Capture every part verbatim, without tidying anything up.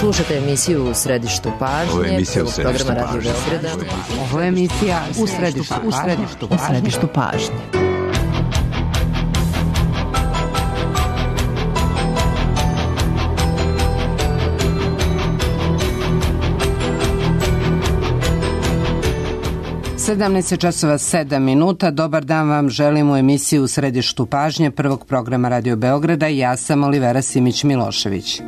Slušate emisiju U središtu pažnje. Ovo je emisija U središtu programa pažnje. Radio Beograda. Ovo je emisija U središtu, u središtu, u središtu pažnje. sedamnaest časova sedam minuta. Dobar dan vam želim u emisiji U središtu pažnje prvog programa Radio Beograda. Ja sam Olivera Simić-Milošević.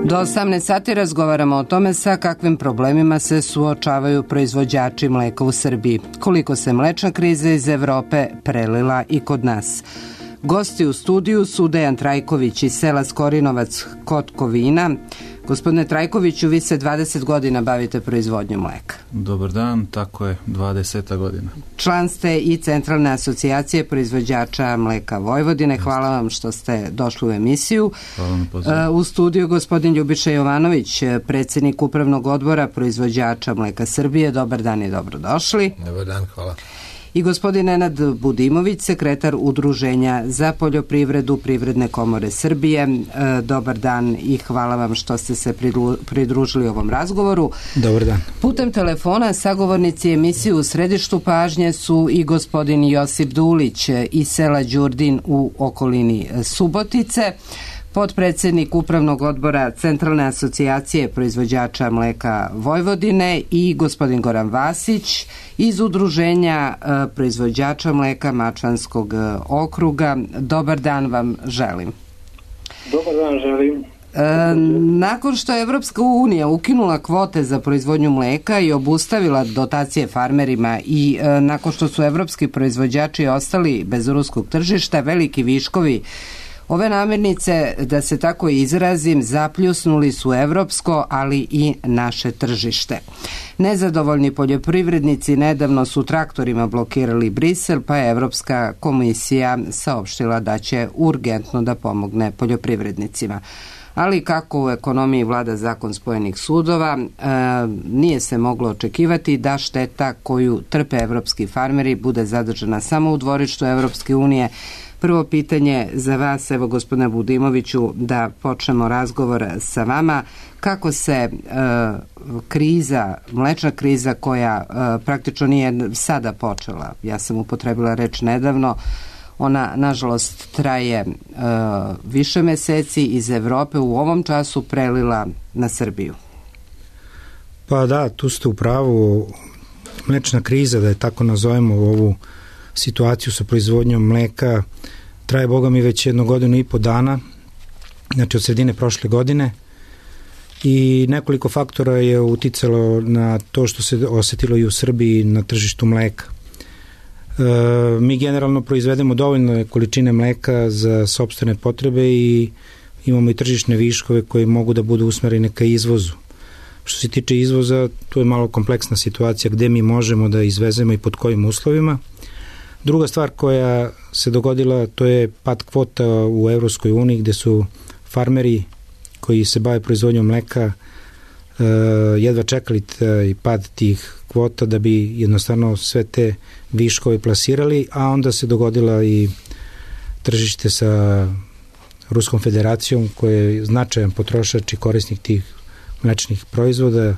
Do osamnaest sati razgovaramo o tome sa kakvim problemima se suočavaju proizvođači mleka u Srbiji, koliko se mlečna kriza iz Evrope prelila i kod nas. Gosti u studiju su Dejan Trajković iz sela Skorinovac kod Kovina. Gospodine Trajkoviću, vi se dvadeset godina bavite proizvodnjom mleka. Dobar dan, tako je, dvadeset godina. Član ste i Centralne asocijacije proizvođača mleka Vojvodine. Hvala vam što ste došli u emisiju. Hvala na pozivu. U studiju gospodin Ljubiša Jovanović, predsjednik Upravnog odbora proizvođača mleka Srbije. Dobar dan i dobrodošli. Dobar dan, hvala. I gospodin Nenad Budimović, sekretar Udruženja za poljoprivredu Privredne komore Srbije. Dobar dan i hvala vam što ste se pridružili ovom razgovoru. Dobar dan. Putem telefona sagovornici emisiju U središtu pažnje su i gospodin Josip Dulić iz sela Đurdin u okolini Subotice, potpredsjednik Upravnog odbora Centralne asocijacije proizvođača mleka Vojvodine, i gospodin Goran Vasić iz Udruženja proizvođača mleka Mačvanskog okruga. Dobar dan vam želim. Dobar dan želim. E, nakon što je Evropska unija ukinula kvote za proizvodnju mleka i obustavila dotacije farmerima i e, nakon što su evropski proizvođači ostali bez ruskog tržišta, veliki viškovi ove namirnice, da se tako izrazim, zapljusnuli su evropsko, ali i naše tržište. Nezadovoljni poljoprivrednici nedavno su traktorima blokirali Brisel, pa je Evropska komisija saopštila da će urgentno da pomogne poljoprivrednicima. Ali kako u ekonomiji vlada zakon spojenih sudova, e, nije se moglo očekivati da šteta koju trpe evropski farmeri bude zadržana samo u dvorištu Evropske unije. Prvo pitanje za vas, evo gospodine Budimoviću, da počnemo razgovor sa vama. Kako se e, kriza, mlečna kriza koja e, praktično nije sada počela, ja sam upotrebila reč nedavno, ona nažalost traje e, više meseci, iz Evrope u ovom času prelila na Srbiju? Pa da, tu ste u pravu. Mlečna kriza, da je tako nazovemo ovu situaciju sa proizvodnjom mleka, traje, boga mi, već jednu godinu i po dana, znači od sredine prošle godine, i nekoliko faktora je uticalo na to što se osetilo i u Srbiji na tržištu mleka. E, mi generalno proizvedemo dovoljne količine mleka za sopstvene potrebe i imamo i tržišne viškove koji mogu da budu usmereni ka izvozu. Što se tiče izvoza, tu je malo kompleksna situacija gde mi možemo da izvezemo i pod kojim uslovima. Druga stvar koja se dogodila, to je pad kvota u Evropskoj uniji, gde su farmeri koji se bave proizvodnjom mleka uh, jedva čekali taj pad tih kvota da bi jednostavno sve te viškove plasirali, a onda se dogodila i tržište sa Ruskom federacijom, koja je značajan potrošač i korisnik tih mlečnih proizvoda,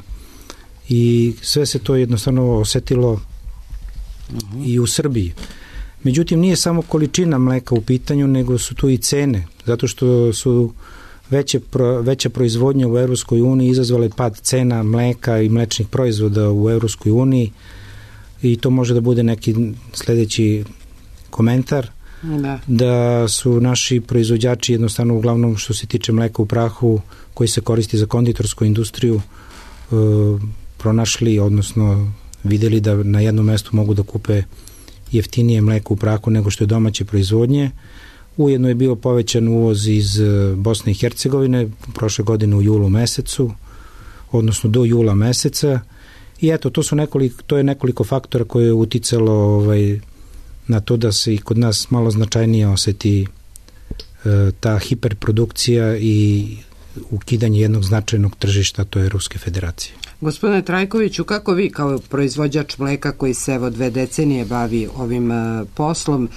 i sve se to jednostavno osetilo i u Srbiji. Međutim, nije samo količina mleka u pitanju, nego su tu i cene, zato što su veće, veća proizvodnja u Evropskoj uniji izazvale pad cena mleka i mlečnih proizvoda u Evropskoj uniji, i to može da bude neki sledeći komentar, da. da su naši proizvođači jednostavno, uglavnom što se tiče mleka u prahu koji se koristi za konditorsku industriju, e, pronašli, odnosno videli da na jednom mestu mogu da kupe jeftinije mleko u prahu nego što je domaće proizvodnje. Ujedno je bio povećan uvoz iz Bosne i Hercegovine prošle godine u julu mesecu, odnosno do jula meseca, i eto, to su nekoliko, to je nekoliko faktora koje je uticalo ovaj, na to da se i kod nas malo značajnije oseti e, ta hiperprodukcija i ukidanje jednog značajnog tržišta, to je Ruske federacije. Gospodine Trajkoviću, kako vi kao proizvođač mleka koji se evo dve decenije bavi ovim uh, poslom,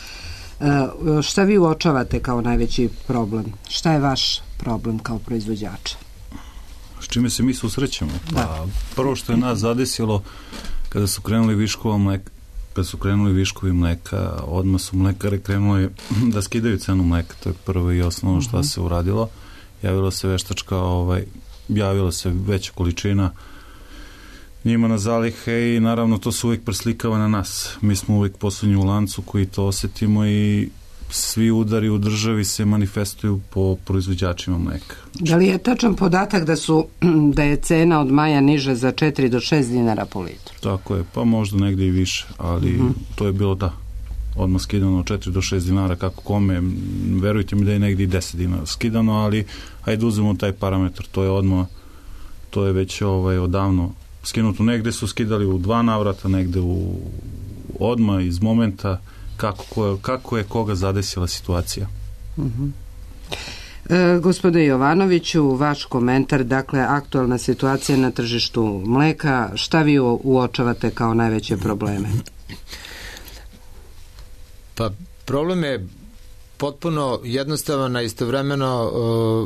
Šta vi uočavate kao najveći problem? Šta je vaš problem kao proizvođača? S čime se mi susrećemo? Da. Pa, prvo što je nas zadesilo kada su krenuli viškova mleka, kada su krenuli viškovi mleka, odmah su mlekare krenuli da skidaju cenu mleka, to je prvo i osnovno šta se uradilo. Javila se veštačka, ovaj, javila se veća količina njima na zalihe i naravno to se uvijek preslikava na nas. Mi smo uvijek poslednji u lancu koji to osetimo i svi udari u državi se manifestuju po proizvođačima mleka. Da li je tačan podatak da su da je cena od maja niža za četiri do šest dinara po litru? Tako je, pa možda negdje i više, ali mm-hmm. to je bilo da odmah skidano četiri do šest dinara kako kome, verujte mi da je negdje i deset dinara skidano, ali hajde uzmemo taj parametar, to je odmah, to je već ovaj, odavno skinuto. Negde su skidali u dva navrata, negde u odmah iz momenta kako, ko, kako je koga zadesila situacija. Uh-huh. E, gospodine Jovanoviću, vaš komentar, dakle, aktualna situacija na tržištu mleka, šta vi uočavate kao najveće probleme? Pa, problem je potpuno jednostavan, a istovremeno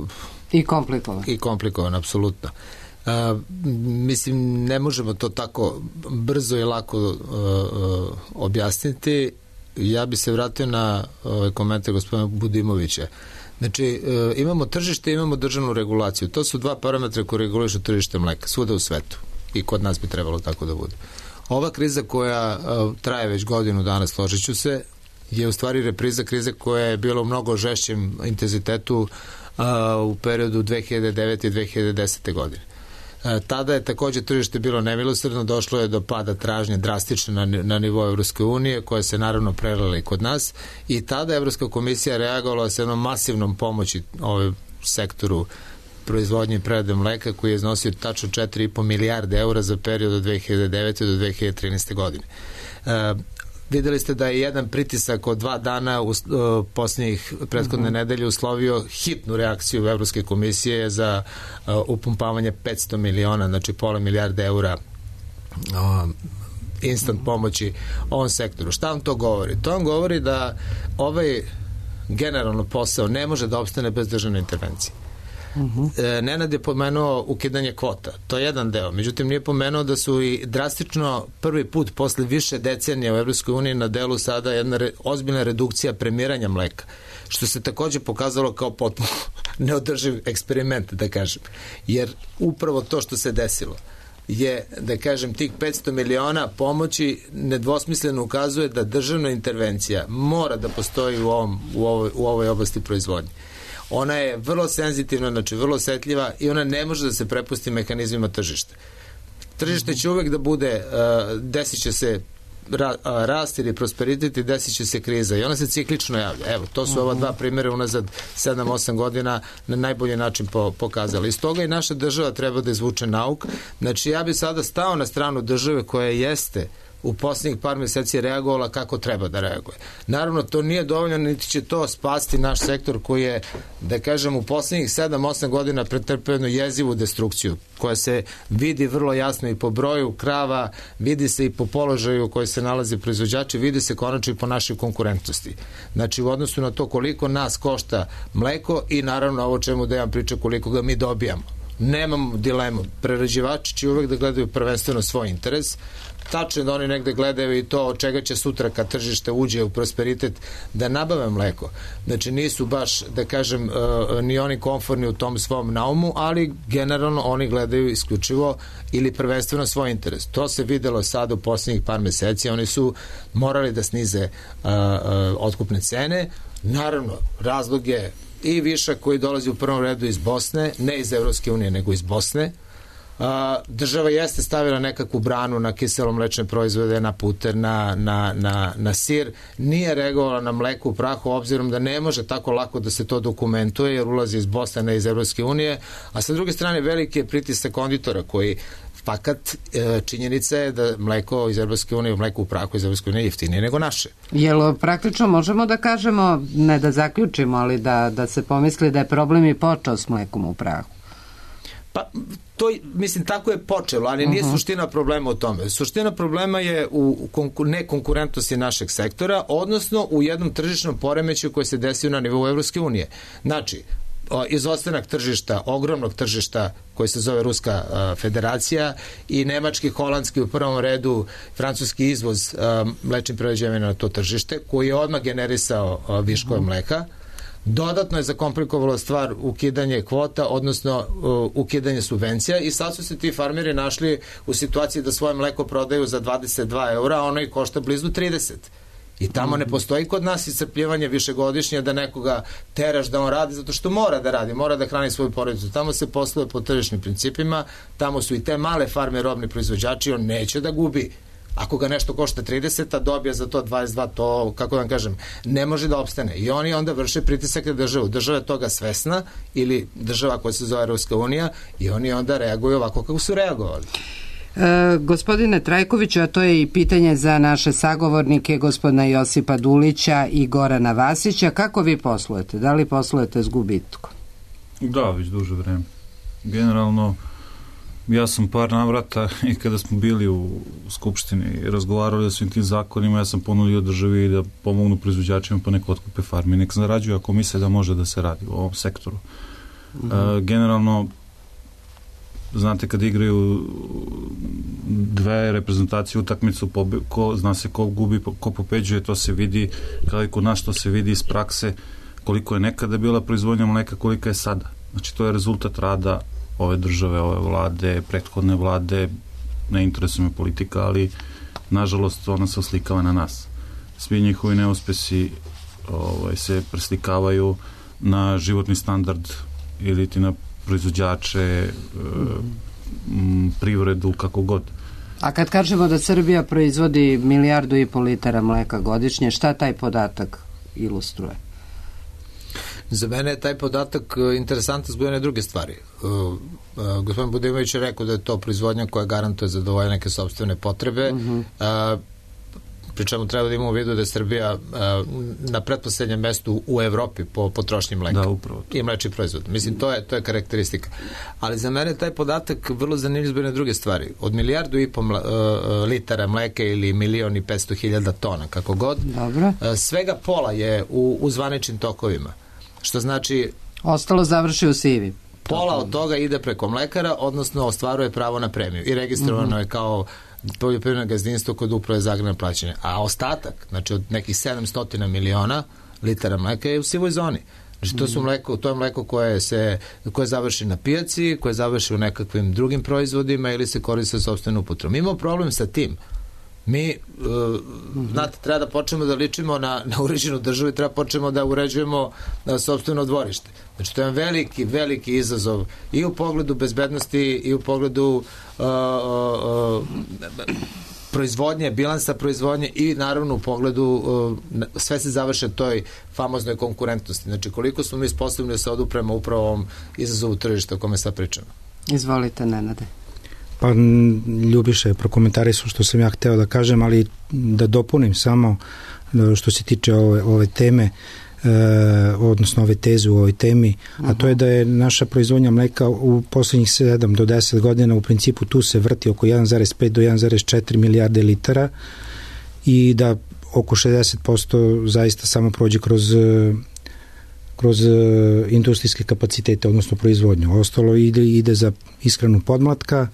uh, i komplikovan. I komplikovan, apsolutno. Uh, mislim, ne možemo to tako brzo i lako uh, uh, objasniti. Ja bi se vratio na ovaj komentar gospodina Budimovića. Znači, uh, imamo tržište, imamo državnu regulaciju. To su dva parametra koji regulišu tržište mleka, svuda u svetu. I kod nas bi trebalo tako da bude. Ova kriza koja uh, traje već godinu dana, složit ću se, je u stvari repriza krize koja je bila u mnogo žešćem intenzitetu uh, u periodu dve hiljade devete i dve hiljade desete godine. Tada je takođe tržište bilo nemilosrdno, došlo je do pada tražnje drastično na, na nivou Evropske unije, koja se naravno prelila i kod nas, i tada Evropska komisija reagovala sa jednom masivnom pomoći ovaj sektoru proizvodnje i prerade mleka, koji je iznosio tačno četiri i po milijarde eura za period od dve hiljade devete do dve hiljade trinaeste godine. E, videli ste da je jedan pritisak od dva dana u uh, posljednjih prethodne uh-huh. nedelje uslovio hitnu reakciju Evropske komisije za uh, upumpavanje petsto miliona, znači pola milijarde eura uh, instant pomoći ovom sektoru. Šta vam to govori? To vam govori da ovaj generalno posao ne može da opstane bez državne intervencije. Uh-huh. E, Nenad je pomenuo ukidanje kvota, to je jedan deo, međutim nije pomenuo da su i drastično prvi put posle više decenija u Evropskoj uniji na delu sada jedna re, ozbiljna redukcija premiranja mleka, što se takođe pokazalo kao potpuno neodrživ eksperiment, da kažem, jer upravo to što se desilo je, da kažem, tih petsto miliona pomoći nedvosmisleno ukazuje da državna intervencija mora da postoji u, ovom, u, ovoj, u ovoj oblasti proizvodnje. Ona je vrlo senzitivna, znači vrlo osetljiva, i ona ne može da se prepusti mehanizmima tržišta. Tržište će uvek da bude, uh, desit će se ra, uh, rast ili prosperitet i desit će se kriza, i ona se ciklično javlja. Evo, to su ova dva primjera unazad sedam osam godina na najbolji način po, pokazali. Iz toga i naša država treba da izvuče nauk. Znači, ja bi sada stao na stranu države koja jeste u posljednjih par mjeseci reagovala kako treba da reaguje. Naravno, to nije dovoljno, niti će to spasti naš sektor koji je, da kažem, u posljednjih sedam osam godina pretrpeo jednu jezivu destrukciju, koja se vidi vrlo jasno i po broju krava, vidi se i po položaju u kojoj se nalaze proizvođači, vidi se konačno i po našoj konkurentnosti. Znači, u odnosu na to koliko nas košta mleko i naravno ovo čemu Dejan priča, koliko ga mi dobijamo. Nemam dilemu. Prerađivači će uvek da gledaju prvenstveno svoj interes. Tačno da oni negde gledaju i to od čega će sutra kad tržište uđe u prosperitet da nabave mleko. Znači nisu baš, da kažem, uh, ni oni komforni u tom svom naumu, ali generalno oni gledaju isključivo ili prvenstveno svoj interes. To se videlo sad u posljednjih par meseci. Oni su morali da snize uh, uh, otkupne cene. Naravno, razlog je i višak koji dolazi u prvom redu iz Bosne, ne iz Evropske unije, nego iz Bosne. Uh, država jeste stavila nekakvu branu na kiselomlečne proizvode, na puter, na, na, na, na sir, nije reagovala na mleko u prahu, obzirom da ne može tako lako da se to dokumentuje, jer ulazi iz Bosne, ne iz Evropske unije, a sa druge strane veliki je pritisak konditora koji fakat činjenica je da mleko iz Evropske unije, mleko u prahu iz Evropske unije je jeftinije nego naše. Jel praktično možemo da kažemo, ne da zaključimo, ali da, da se pomisli da je problem i počeo s mlekom u prahu? Pa, to, mislim, tako je počelo, ali nije uh-huh. suština problema u tome. Suština problema je u konkur- nekonkurentnosti našeg sektora, odnosno u jednom tržišnom poremeću koji se desio na nivou Evropske unije. Znači, izostanak tržišta, ogromnog tržišta koji se zove Ruska uh, federacija i nemački, holandski u prvom redu, francuski izvoz uh, mlečnih prerađevina na to tržište, koji je odmah generisao uh, viškove mleka. Dodatno je zakomplikovalo stvar ukidanje kvota, odnosno uh, ukidanje subvencija i sad su se ti farmeri našli u situaciji da svoje mleko prodaju za dvadeset dva eura, a ono i košta blizu trideset. I tamo ne postoji kod nas iscrpljivanje višegodišnje da nekoga teraš da on radi, zato što mora da radi, mora da hrani svoju porodicu. Tamo se posluje po tržišnim principima, tamo su i te male farme robni proizvođači, on neće da gubi. Ako ga nešto košta trideset, a dobija za to dvadeset dva, to, kako da vam kažem, ne može da opstane. I oni onda vrše pritisak na državu. Država je toga svesna, ili država koja se zove Evropska unija, i oni onda reaguju ovako kako su reagovali. E, gospodine Trajkoviću, a to je i pitanje za naše sagovornike, gospodina Josipa Dulića i Gorana Vasića. Kako vi poslujete? Da li poslujete s gubitkom? Da, već duže vreme. Generalno, ja sam par navrata i kada smo bili u Skupštini i razgovarali o svim tim zakonima, ja sam ponudio državi da pomognu proizvođačima pa neko otkupe farme. Nek zarađuju ako misle da može da se radi u ovom sektoru. Mm-hmm. E, generalno, znate, kad igraju dve reprezentacije utakmicu, ko, zna se ko gubi, ko pobeđuje, to se vidi, kada i kod nas to se vidi iz prakse, koliko je nekada bila proizvodnja mleka, kolika je sada. Znači, to je rezultat rada ove države, ove vlade, prethodne vlade, ne interesuje me politika, ali nažalost ona se oslikava na nas. Svi njihovi neuspesi ovaj, se preslikavaju na životni standard ili ti na proizvođače, m, privredu, kako god. A kad kažemo da Srbija proizvodi milijardu i pol litara mleka godišnje, šta taj podatak ilustruje? Za mene je taj podatak interesantan zbog jedne druge stvari. Uh, uh, gospodin Budimović je rekao da je to proizvodnja koja garantuje zadovoljenje neke sopstvene potrebe. Uh-huh. Uh, pri čemu treba da imamo u vidu da je Srbija uh, na pretposlednjem mestu u Evropi po potrošnji mleka. Da, upravo. I mlečni proizvod. Mislim, to je, to je karakteristika. Ali za mene taj podatak vrlo zanimljiv zbog jedne druge stvari. Od milijardu i po mla, uh, litara mleka ili milion i petsto hiljada tona, kako god, uh, svega pola je u, u zvaničnim tokovima. Što znači... Ostalo završi u sivi. Pola od toga ide preko mlekara, odnosno ostvaruje pravo na premiju. I registrovano mm-hmm. je kao poljoprivredno gazdinstvo kod uprave za agrarno plaćanje. A ostatak, znači od nekih sedamsto miliona litara mleka je u sivoj zoni. Znači to su mleko, to je mleko koje se koje završi na pijaci, koje završi u nekakvim drugim proizvodima ili se koristi za sopstvenu upotrebu. Imamo problem sa tim. Mi, uh, mm-hmm. znate, treba da počnemo da ličimo na, na uređenu državu i treba počnemo da uređujemo na sopstveno dvorište. Znači, to je veliki, veliki izazov i u pogledu bezbednosti i u pogledu uh, uh, proizvodnje, bilansa proizvodnje i naravno u pogledu uh, sve se završe toj famoznoj konkurentnosti. Znači, koliko smo mi sposobni da se odupremo upravo ovom izazovu tržišta o kome sad pričamo. Izvolite, Nenade. Pa Ljubiša je prokomentarisao što sam ja hteo da kažem, ali da dopunim samo što se tiče ove, ove teme, e, odnosno ove teze u ovoj temi, a to je da je naša proizvodnja mleka u poslednjih sedam do deset godina u principu tu se vrti oko jedan zarez pet do jedan zarez četiri milijarde litara i da oko šezdeset posto zaista samo prođe kroz kroz industrijske kapacitete, odnosno proizvodnju. Ostalo ide, ide za ishranu podmlatka,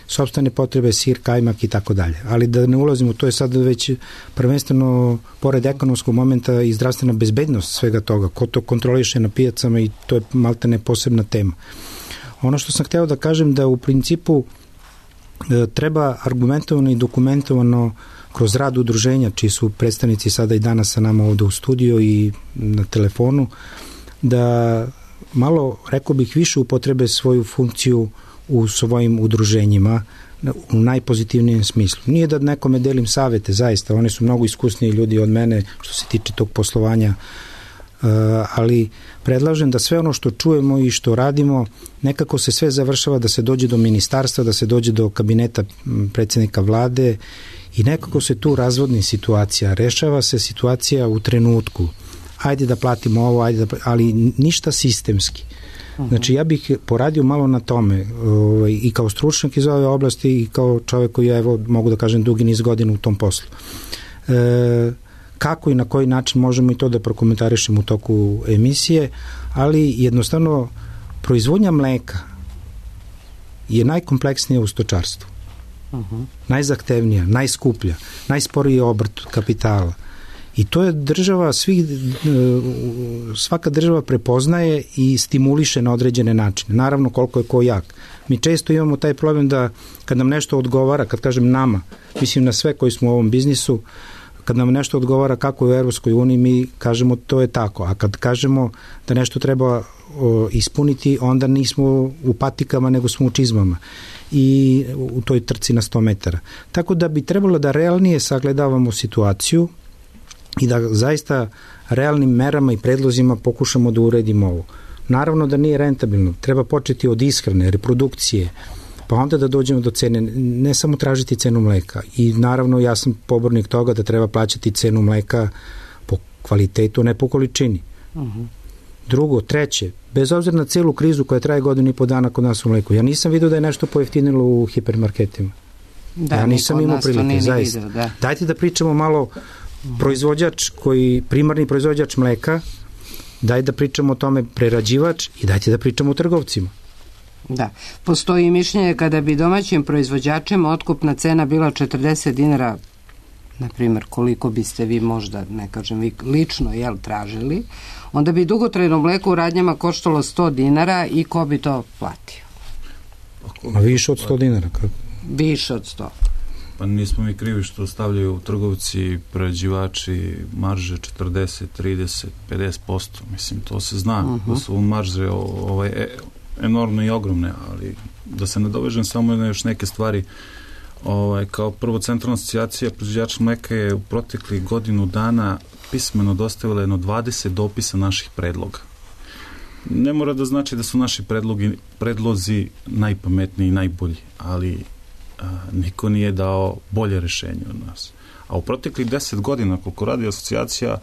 sopstvene potrebe, sir, kajmak i tako dalje. Ali da ne ulazimo, to je sad već prvenstveno pored ekonomskog momenta i zdravstvena bezbednost svega toga. Ko to kontroliše na pijacama i to je maltene posebna tema. Ono što sam hteo da kažem da u principu e, treba argumentovano i dokumentovano kroz rad udruženja, čiji su predstavnici sada i danas sa nama ovde u studiju i na telefonu, da malo, rekao bih, više upotrebe svoju funkciju u svojim udruženjima u najpozitivnijem smislu. Nije da nekome delim savete, zaista, oni su mnogo iskusniji ljudi od mene što se tiče tog poslovanja, ali predlažem da sve ono što čujemo i što radimo, nekako se sve završava da se dođe do ministarstva, da se dođe do kabineta predsjednika vlade i nekako se tu razvodni situacija. Rešava se situacija u trenutku. Ajde da platimo ovo, ajde da, ali ništa sistemski. Znači ja bih poradio malo na tome ovaj, i kao stručnjak iz ove oblasti i kao čovjek koji ja evo, mogu da kažem dugi niz godina u tom poslu. E, kako i na koji način možemo i to da prokomentarišemo u toku emisije, ali jednostavno proizvodnja mleka je najkompleksnija u stočarstvu. Uh-huh. Najzahtevnija, najskuplja, najsporiji obrt kapitala. I to je država, svih, svaka država prepoznaje i stimuliše na određene načine. Naravno koliko je ko jak. Mi često imamo taj problem da kad nam nešto odgovara, kad kažem nama, mislim na sve koji smo u ovom biznisu, kad nam nešto odgovara kako je u Evropskoj uniji, mi kažemo to je tako. A kad kažemo da nešto treba o, ispuniti, onda nismo u patikama, nego smo u čizmama i u toj trci na sto metara. Tako da bi trebalo da realnije sagledavamo situaciju i da zaista realnim merama i predlozima pokušamo da uredimo ovo. Naravno da nije rentabilno, treba početi od ishrane, reprodukcije, pa onda da dođemo do cene, ne samo tražiti cenu mleka. I naravno ja sam pobornik toga da treba plaćati cenu mleka po kvalitetu, ne po količini. Uh-huh. Drugo, treće, bez obzira na celu krizu koja traje godinu i po dana kod nas u mleku, ja nisam vidio da je nešto pojeftinilo u hipermarketima. Da, ja nisam imao prilike, zaista. Vidio, da. Dajte da pričamo malo proizvođač koji, primarni proizvođač mleka, daj da pričamo o tome prerađivač i dajte da pričamo o trgovcima. Da, postoji mišljenje kada bi domaćim proizvođačima otkupna cena bila četrdeset dinara, na primjer koliko biste vi možda, ne kažem vi lično, jel, tražili, onda bi dugotrajno mleko u radnjama koštalo sto dinara i ko bi to platio? A više od sto dinara? Kako? Više od sto. Pa nismo mi krivi što stavljaju trgovci, prerađivači marže četrdeset, trideset, pedeset posto. Mislim, to se zna, uh-huh. da su marže ovaj, e, enormne i ogromne, ali da se nadovežem samo na još neke stvari. Ovaj, kao prvo, Centralna asocijacija proizvođača mleka je u proteklih godinu dana pismeno dostavila jedno dvadeset dopisa naših predloga. Ne mora da znači da su naši predlogi, predlozi najpametniji i najbolji, ali a, niko nije dao bolje rešenje od nas. A u proteklih deset godina, koliko radi asocijacija,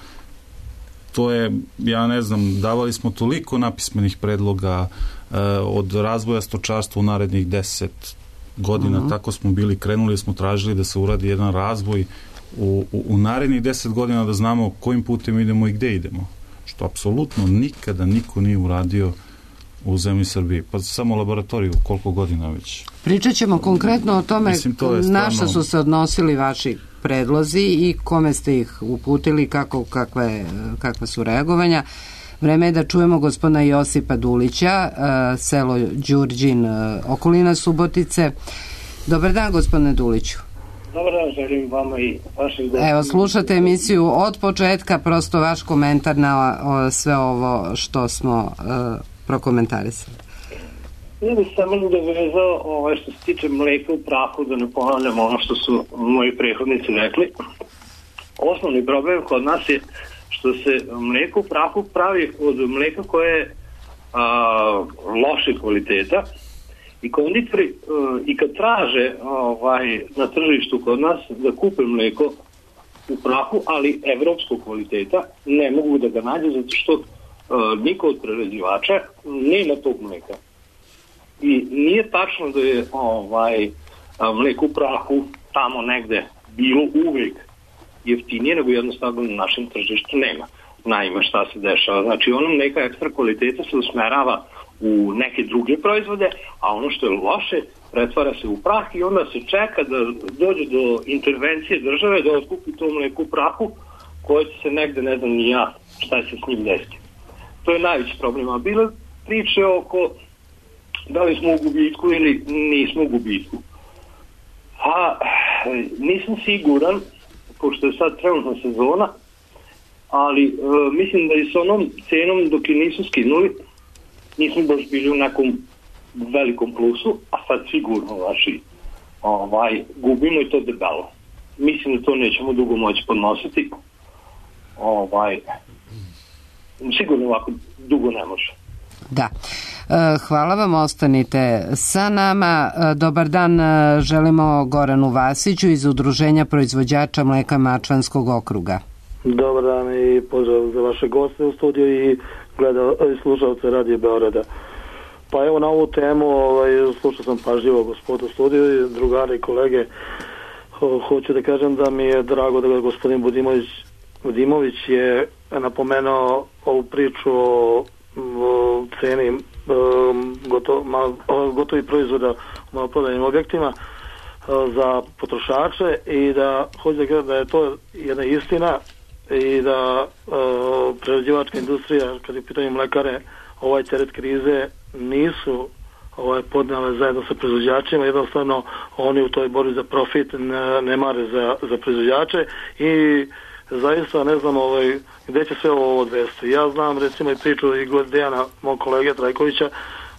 to je, ja ne znam, davali smo toliko napismenih predloga a, od razvoja stočarstva u narednih deset godina, uh-huh. tako smo bili, krenuli smo, tražili da se uradi jedan razvoj u, u, u narednih deset godina, da znamo kojim putem idemo i gde idemo. Što apsolutno nikada niko nije uradio u zemlji Srbiji. Pa samo laboratoriju, koliko godina već. Pričat ćemo konkretno o tome Mislim, to je stvarno... na šta su se odnosili vaši predlozi i kome ste ih uputili, kako, kakve, kakve su reagovanja. Vreme je da čujemo gospodina Josipa Dulića, selo Đurđin, okolina Subotice. Dobar dan, gospodine Duliću. Dobar dan, želim vama i vašim gostima. Evo, slušate emisiju od početka, prosto vaš komentar na o, sve ovo što smo uh, prokomentarisali. Ja bih samo dovezao ovaj, što se tiče mleka u prahu, da ne ponavljam ono što su moji prethodnici rekli. Osnovni problem kod nas je što se mleko u prahu pravi od mleka koje je a, loše kvaliteta i konditori a, i kad traže ovaj, na tržištu kod nas da kupe mleko u prahu, ali evropskog kvaliteta, ne mogu da ga nađe zato što a, niko od prerađivača nema tog mleka. I nije tačno da je ovaj, a, mleko u prahu tamo negde bilo uvek jeftinije, nego jednostavno na našem tržištu nema. Naime, šta se dešava? Znači, ono neka ekstra kvaliteta se usmerava u neke druge proizvode, a ono što je loše pretvara se u prah i onda se čeka da dođe do intervencije države da otkupi to mleko u prahu koje će se negde, ne znam ni ja šta će se s njim desiti. To je najveći problem. A bile priče oko da li smo u gubitku ili nismo u gubitku. A nisam siguran, pošto je sad trenutna sezona, ali e, mislim da i s onom cenom dok je nisu skinuli, nismo baš bili u nekom velikom plusu, a sad sigurno vaši ovaj, gubimo i to debelo. Mislim da to nećemo dugo moći podnositi. Ovaj, sigurno ovako dugo ne može. Da. Hvala vam, ostanite sa nama. Dobar dan, želimo Goranu Vasiću iz Udruženja proizvođača mleka Mačvanskog okruga. Dobar dan i pozdrav za vaše goste u studiju i gleda, slušalce Radio Beograda. Pa evo na ovu temu, ovaj, slušao sam pažljivo gospodu studiju i drugari i kolege. Ho, hoću da kažem da mi je drago da gospodin Budimović, Budimović je napomenuo ovu priču o, o ceni um, gotov, mal, gotovih proizvoda u maloprodajnim objektima za potrošače i da hoće da kažem da je to jedna istina i da uh, prerađivačka industrija, kad je u pitanju mlekare, ovaj teret krize nisu ovaj, podnale zajedno sa proizvođačima, jednostavno oni u toj borbi za profit ne, ne mare za, za proizvođače i zaista ne znam ovaj, gde će sve ovo odvesti. Ja znam recimo i priču i god Dejana, mog kolege Trajkovića,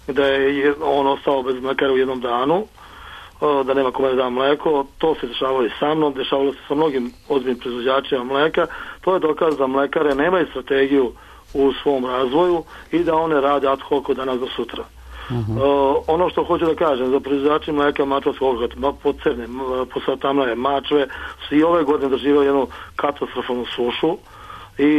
da je on ostao bez mlekara u jednom danu, da nema kome da da mleko. To se dešavalo i sa mnom, dešavalo se sa mnogim ozbiljnim proizvođačima mleka. To je dokaz da mlekare nemaju strategiju u svom razvoju i da one rade ad hoc od danas do sutra. Uh-huh. Uh, ono što hoću da kažem za proizvođači mleka mačvarskog ogata, Podcrne, Posatamlje, Mačve, svi ove godine doživjeli jednu katastrofalnu sušu i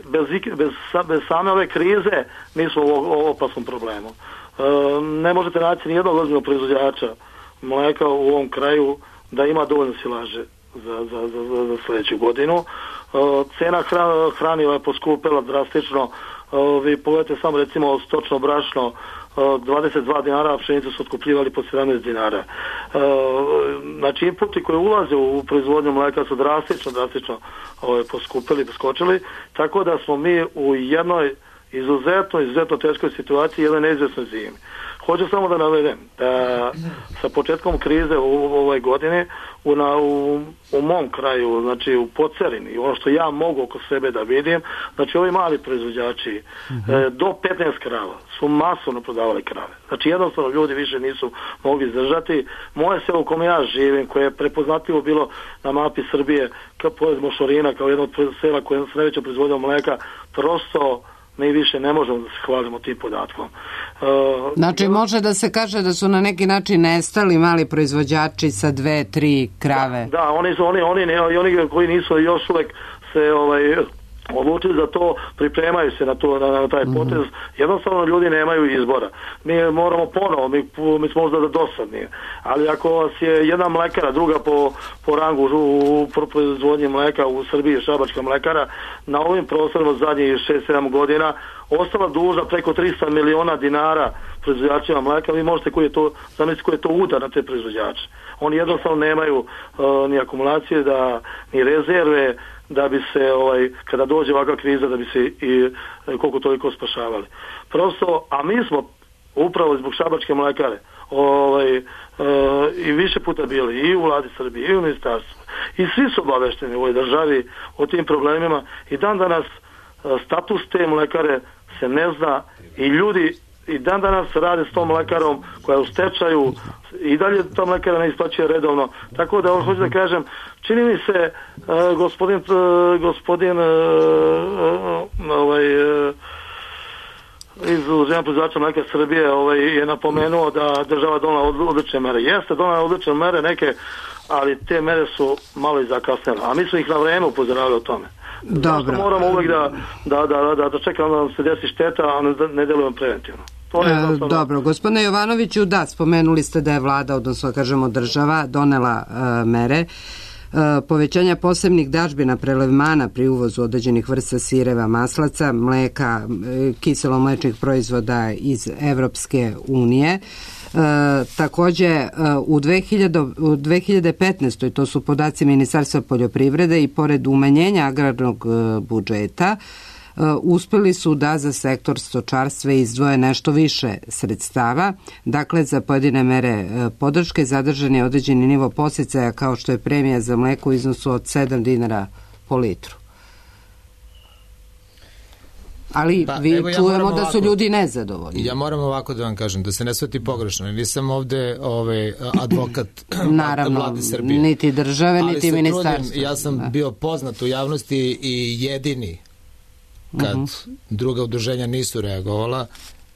bez, bez, bez same ove krize mi smo u opasnom problemu. Uh, ne možete naći ni jednog ozbiljnog proizvođača mleka u ovom kraju da ima dovoljno silaže za, za, za, za sljedeću godinu. Uh, cena hran, hraniva je poskupila drastično. Uh, vi pogledajte samo recimo stočno brašno, uh, dvadeset dva dinara, a pšenicu su otkupljivali po sedamnaest dinara. Uh, znači inputi koji ulaze u proizvodnju mleka su drastično, drastično uh, poskupili, poskočili, tako da smo mi u jednoj izuzetno, izuzetno teškoj situaciji, jednoj neizvjesnoj zimi. Hoću samo da navedem da sa početkom krize u, u ovoj godini u, na, u, u mom kraju, znači u Podcerini, ono što ja mogu oko sebe da vidim, znači ovi mali proizvođači mm-hmm. e, do petnaest krava su masovno prodavali krave. Znači jednostavno ljudi više nisu mogli izdržati. Moje selo u kome ja živim, koje je prepoznatljivo bilo na mapi Srbije, kao pored Mošorina, kao jedno od sela koje je najveća proizvodnja mleka, prosto mi više ne možemo da se hvalimo tim podatkom. Uh, znači može da se kaže da su na neki način nestali mali proizvođači sa dve, tri krave. Da, da oni su oni, oni, ne, oni koji nisu još uvek se ovaj odlučili za to, pripremaju se na to, na, na taj potez. Mm-hmm. Jednostavno ljudi nemaju izbora. Mi moramo ponovo, mi, mi smo možda dosadni, ali ako vas je jedna mlekara, druga po, po rangu u, u proizvodnji mleka u Srbiji, Šabačka mlekara, na ovim prostorima zadnjih šest sedam godina ostala dužna preko tristo miliona dinara proizvođačima mleka, vi možete koji je to, zamisliti koji je to udar na te proizvođače. Oni jednostavno nemaju uh, ni akumulacije, da, ni rezerve, da bi se, ovaj, kada dođe ovakva kriza, da bi se i koliko toliko spašavali. Prosto, a mi smo upravo zbog Šabačke mlekare ovaj, e, i više puta bili i u vladi Srbije i u ministarstvu i svi su obavešteni u ovoj državi o tim problemima i dan danas status te mlekare se ne zna i ljudi i dan danas rade s tom mlekarom koja je u stečaju i dalje ta mlekara ne isplaćuje redovno. Tako da hoću da kažem, čini mi se uh, gospodin uh, gospodin uh, uh, ovaj uh, iz Udruženja proizvođača mleka Srbije ovaj, je napomenuo da država donela odlične mere. Jeste donela odlične mere neke, ali te mere su malo i zakasnele. A mi smo ih na vreme upozoravali o tome. Dobro. Moramo uvek da, da, da, da, da čekamo da nam se desi šteta, a ne, ne delujemo preventivno. To je e, dobro, gospodine Jovanoviću, da, spomenuli ste da je vlada, odnosno kažemo država, donela e, mere e, povećanja posebnih dažbina prelevmana pri uvozu određenih vrsta sireva, maslaca, mleka, e, kiselo-mlečnih proizvoda iz Evropske unije. E, takođe e, u, dve hiljade petnaestoj to su podaci Ministarstva poljoprivrede i pored umanjenja agrarnog e, budžeta e, uspeli su da za sektor stočarstva izdvoje nešto više sredstava, dakle za pojedine mere e, podrške zadržan je određeni nivo podsticaja kao što je premija za mleko u iznosu od sedam dinara po litru. Ali pa, vi evo, ja čujemo da su ovako, ljudi nezadovoljni. Ja moram ovako da vam kažem, da se ne shvati pogrešno. Nisam ovde ovaj, advokat Naravno, vlade Srbije. Niti države, ali niti ministarstva. Ja sam da. bio poznat u javnosti i jedini kad uh-huh. druga udruženja nisu reagovala.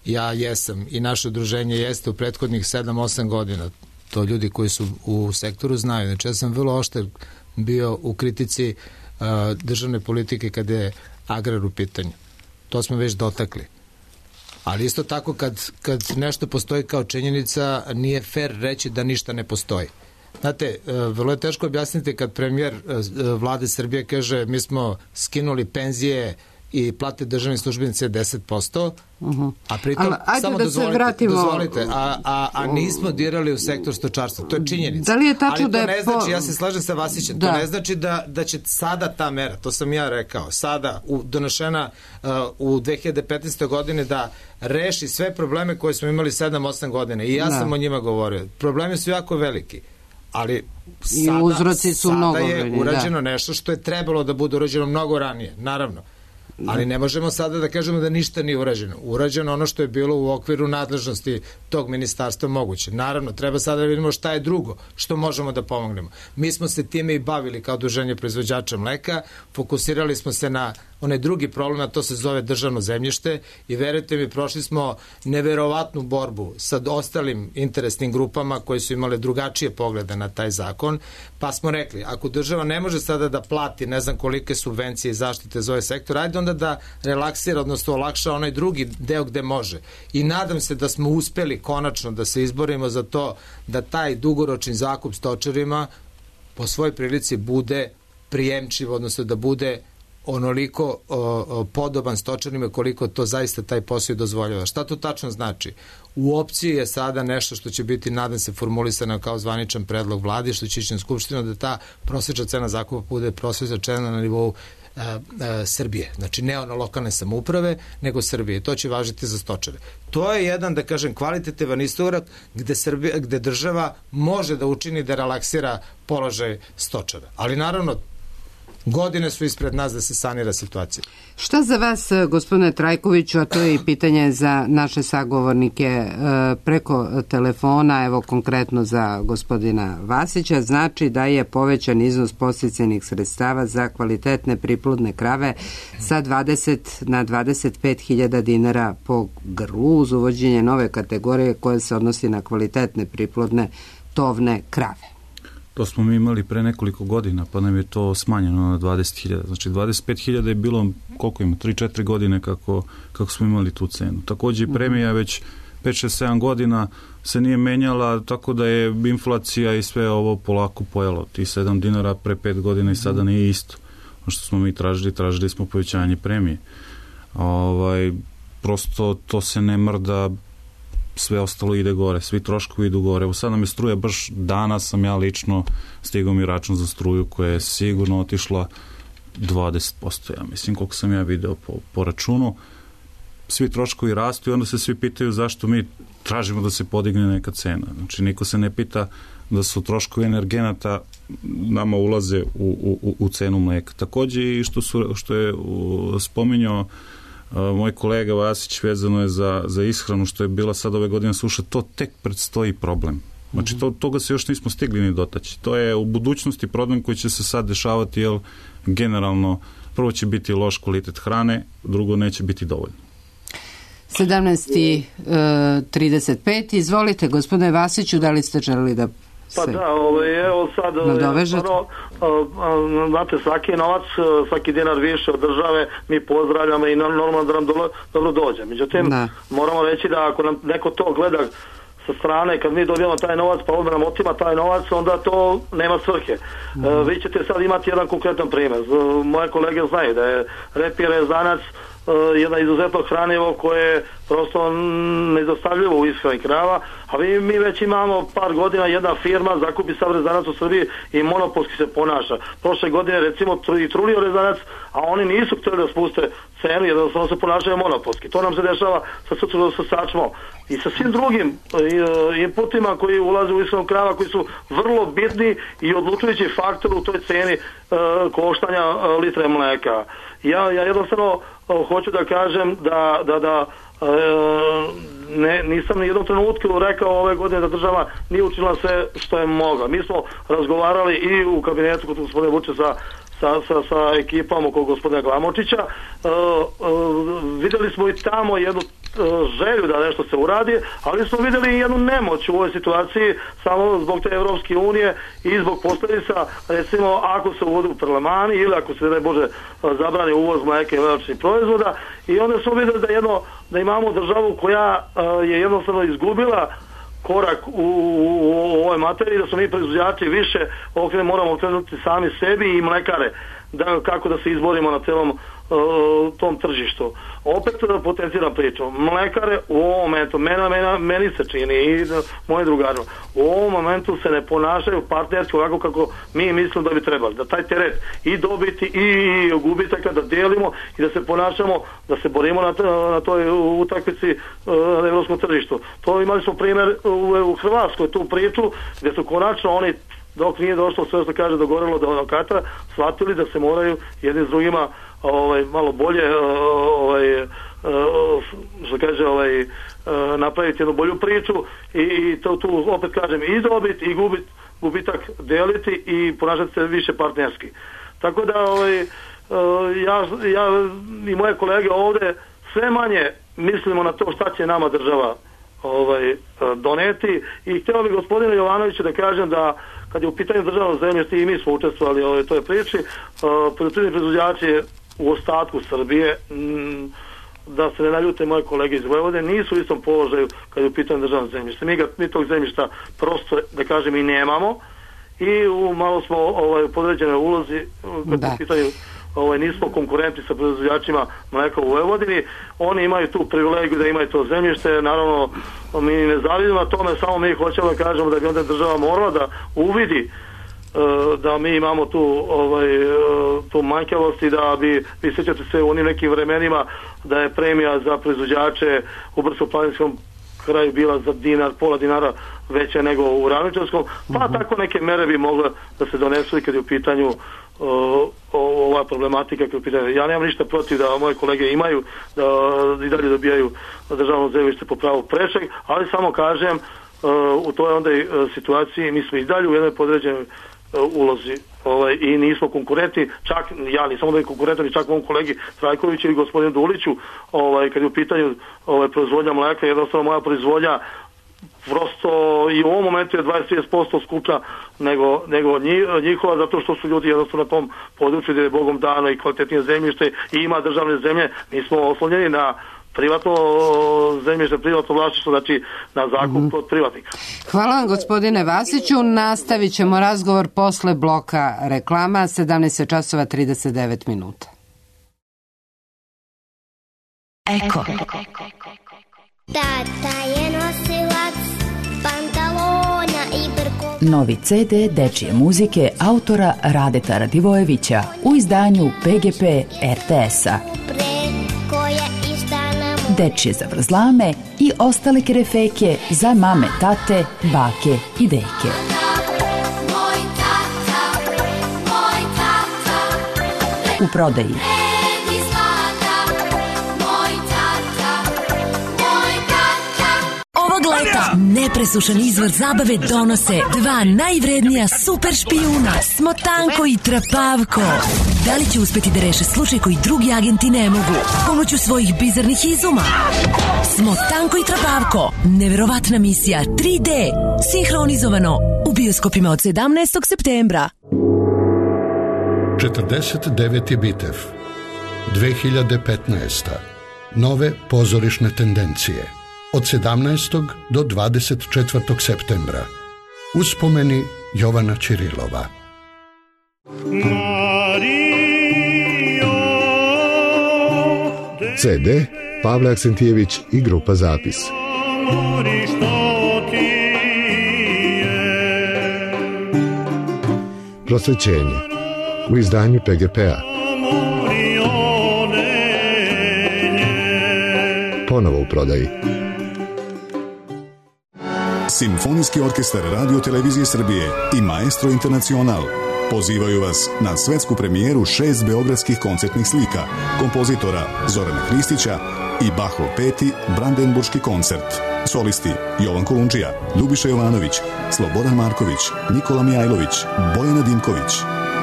Ja jesam i naše udruženje jeste u prethodnih sedam osam godina. To ljudi koji su u sektoru znaju. Znači ja sam vrlo oštar bio u kritici uh, državne politike kada je agrar u pitanju. To smo već dotakli. Ali isto tako kad, kad nešto postoji kao činjenica, nije fair reći da ništa ne postoji. Znate, vrlo je teško objasniti kad premijer vlade Srbije kaže mi smo skinuli penzije i plate državne službenice deset posto, uh-huh. a pritom, Ali, samo da dozvolite, vratimo... dozvolite a, a, a nismo dirali u sektor stočarstva. To je činjenica. Da li je tačno Ali to da je ne znači, po... ja se slažem sa Vasićem, da. to ne znači da, da će sada ta mera, to sam ja rekao, sada u, donešena uh, u dve hiljade petnaestoj godine da reši sve probleme koje smo imali sedam osam godina i ja da. sam o njima govorio. Problemi su jako veliki. Ali sada, uzroci su sada mnogo je brojni, urađeno da. nešto što je trebalo da bude urađeno mnogo ranije, naravno. Ali ne možemo sada da kažemo da ništa nije urađeno. Urađeno ono što je bilo u okviru nadležnosti tog ministarstva moguće. Naravno, treba sada da vidimo šta je drugo, što možemo da pomognemo. Mi smo se time i bavili kao udruženje proizvođača mleka, fokusirali smo se na onaj drugi problem, a to se zove državno zemljište i verujte mi, prošli smo neverovatnu borbu sa ostalim interesnim grupama koji su imale drugačije poglede na taj zakon, pa smo rekli, ako država ne može sada da plati ne znam kolike subvencije i zaštite za ovaj sektor, ajde onda da relaksira, odnosno olakša onaj drugi deo gde može. I nadam se da smo uspeli konačno da se izborimo za to da taj dugoročni zakup stočarima po svoj prilici bude prijemčiv, odnosno da bude onoliko o, o, podoban stočarima koliko to zaista taj posao i dozvoljava. Šta to tačno znači? U opciji je sada nešto što će biti, nadam se, formulisano kao zvaničan predlog vlade, što će ići na skupštinu, da ta prosječna cena zakupa bude prosječna cena na nivou a, a, Srbije. Znači ne ono lokalne samouprave, nego Srbije. To će važiti za stočare. To je jedan, da kažem, kvalitativan iskorak gde, Srbija, gde država može da učini da relaksira položaj stočara. Ali naravno, godine su ispred nas da se sanira situacija. Šta za vas, gospodine Trajkoviću, a to je i pitanje za naše sagovornike preko telefona, evo konkretno za gospodina Vasića, znači da je povećan iznos podsticajnih sredstava za kvalitetne priplodne krave sa dvadeset na dvadeset pet hiljada dinara po grlu uz uvođenje nove kategorije koja se odnosi na kvalitetne priplodne tovne krave. To smo mi imali pre nekoliko godina, pa nam je to smanjeno na dvadeset hiljada. Znači dvadeset pet hiljada je bilo, koliko ima, tri četiri godine kako, kako smo imali tu cenu. Takođe i premija već pet šest sedam godina se nije menjala, tako da je inflacija i sve ovo polako pojelo. Ti sedam dinara pre pet godina i sada nije isto. Ono što smo mi tražili, tražili smo povećanje premije. Ovaj, prosto to se ne mrda, sve ostalo ide gore, svi troškovi idu gore. Evo sad nam je struja, baš danas sam ja lično stigao mi račun za struju koja je sigurno otišla dvadeset posto, ja mislim, koliko sam ja video po, po računu. Svi troškovi rastu i onda se svi pitaju zašto mi tražimo da se podigne neka cena. Znači, niko se ne pita da su troškovi energenata nama ulaze u, u, u cenu mleka. Takođe i što, su, što je spominjao Uh, moj kolega Vasić, vezano je za, za ishranu, što je bila sad ove godine suša, to tek predstoji problem. Znači, to, toga se još nismo stigli ni dotaći. To je u budućnosti problem koji će se sad dešavati, jer generalno prvo će biti loš kvalitet hrane, drugo neće biti dovoljno. sedamnaest trideset pet, izvolite, gospodine Vasiću, da li ste želeli da Pa da, ovaj, evo sad, ono, znate, svaki novac, svaki dinar više od države mi pozdravljamo i normalno da nam dobro, dobro dođe. Međutim, da. moramo reći da ako nam neko to gleda sa strane, kad mi dobijamo taj novac, pa onda nam otima taj novac, onda to nema svrhe. Mm. E, vi ćete sad imati jedan konkretan primjer. Moje kolege znaju da je repir rezanac jedna izuzetno hranivo koje je prosto nedostavljivo u ishrani krava, a mi, mi već imamo par godina jedna firma zakupi sav rezanac u Srbiji i monopolski se ponaša. Prošle godine recimo i trulio rezanac, a oni nisu htjeli da spuste cenu, jednostavno se ponašaju monopolski. To nam se dešava sa, sa sačmom i sa svim drugim inputima koji ulaze u ishranu krava, koji su vrlo bitni i odlučujući faktor u toj ceni uh, koštanja uh, litre mleka. Ja, ja jednostavno uh, hoću da kažem da, da, da uh, ne, nisam ni jednom trenutku rekao ove godine da država nije učinila sve što je mogla. Mi smo razgovarali i u kabinetu kod gospodine Vučića sa Sa, sa, sa ekipom oko gospodina Glamočića. Uh, uh, videli smo i tamo jednu želju da nešto se uradi, ali smo vidjeli jednu nemoć u ovoj situaciji samo zbog te Evropske unije i zbog posljedica, recimo ako se uvodu parlemani ili ako se ne može zabrani uvoz mlijeka i mliječnih proizvoda, i onda smo vidjeli da, jedno, da imamo državu koja je jednostavno izgubila korak u, u, u ovoj materiji, da smo mi proizvođači više okre, moramo okrenuti sami sebi i mlekare da, kako da se izborimo na celom uh, tom tržištu. Opet potenciram priču. Mlekare u ovom momentu, mena, mena, meni se čini i moji drugarima, u ovom momentu se ne ponašaju partnerski ovako kako mi mislimo da bi trebali. Da taj teret i dobiti i gubitaka da delimo i da se ponašamo, da se borimo na, na toj utakmici uh, na evropskom tržištu. To imali smo primjer u, u Hrvatskoj, tu priču gdje su konačno oni, dok nije došlo sve što kaže dogorelo do odokata, shvatili da se moraju jedni s drugima ovaj, malo bolje ovaj, što kaže ovaj, napraviti jednu bolju priču i, i to tu opet kažem i dobit i gubit, gubitak deliti i ponašati se više partnerski. Tako da ovaj, ja, ja i moje kolege ovdje sve manje mislimo na to šta će nama država ovaj, doneti i htio bih gospodinu Jovanoviću da kažem da kad je u pitanju državno zemljište i mi smo učestvovali u ovoj toj priči, poljoprivredni proizvođači u ostatku Srbije, m, da se ne naljute moje kolege iz Vojvodine, nisu u istom položaju kad je u pitanju državno zemljište. Mi, ga, mi tog zemljišta prosto, da kažem, i nemamo i u, malo smo ovaj, u podređenoj ulozi kad je u pitanju ovaj, nismo konkurenti sa proizvođačima mleka u Vojvodini, oni imaju tu privilegiju da imaju to zemljište, naravno mi ne zavidimo na tome, samo mi hoćemo da kažemo da bi onda država morala da uvidi uh, da mi imamo tu ovaj, uh, tu manjkavost i da bi, vi sjećate se u onim nekim vremenima da je premija za proizvođače u brdsko-planinskom kraju bila za dinar, pola dinara veća nego u ravničarskom, pa uh-huh. tako neke mere bi mogle da se donesu i kad je u pitanju uh, ova problematika kad je u pitanju. Ja nemam ništa protiv da moje kolege imaju da i dalje dobijaju državno zemljište po pravu prečeg, ali samo kažem uh, u toj onda i uh, situaciji mi smo i dalje u jednoj podređenoj uh, ulozi ovaj, i nismo konkurenti, čak ja nisam onda i konkurentan i čak mom kolegi Trajkoviću i gospodinu Duliću, ovaj, kad je u pitanju ovaj, proizvodnja mleka, jednostavno moja proizvodnja prosto i u ovom momentu je dvadeset do trideset posto skuplja nego, nego njihova, zato što su ljudi jednostavno na tom području gdje je Bogom dano i kvalitetnije zemljište i ima državne zemlje, mi smo oslonjeni na privatno zemljište, privatno vlasništvo, znači na zakup mm. od privatnika. Hvala vam gospodine Vasiću, nastavit ćemo razgovor posle bloka reklama, sedamnaest časova trideset devet minuta. Eko. Tata je nosilac pantalona i brko. Novi ce de dečije muzike autora Radeta Radivojevića u izdanju pe ge pe er te es-a. Dečije zavrzlame i ostale kerefeke za mame, tate, bake i deke. U prodaji leta nepresušan izvor zabave donose dva najvrednija super špijuna, Smotanko i Trapavko. Da li će uspeti da reše slučaj koji drugi agenti ne mogu pomoću svojih bizarnih izuma? Smotanko i Trapavko, neverovatna misija tri de, sinhronizovano u bioskopima od sedamnaestog septembra. četrdeset deveti Bitev, dve hiljade petnaesta. Nove pozorišne tendencije. Od sedamnaestog do dvadeset četvrtog septembra. Uspomeni Jovana Ćirilova. ce de Pavle Aksentijević i grupa Zapis. Prosvećenje u izdanju pe ge pe-a. Ponovo u prodaji. Simfonijski orkestar Radio Televizije Srbije i Maestro Internacional pozivaju vas na svetsku premijeru šest beogradskih koncertnih slika kompozitora Zorana Hristića i Bachov peti Brandenburški koncert. Solisti Jovan Kolundžija, Ljubiša Jovanović, Slobodan Marković, Nikola Mijajlović, Bojana Dimković.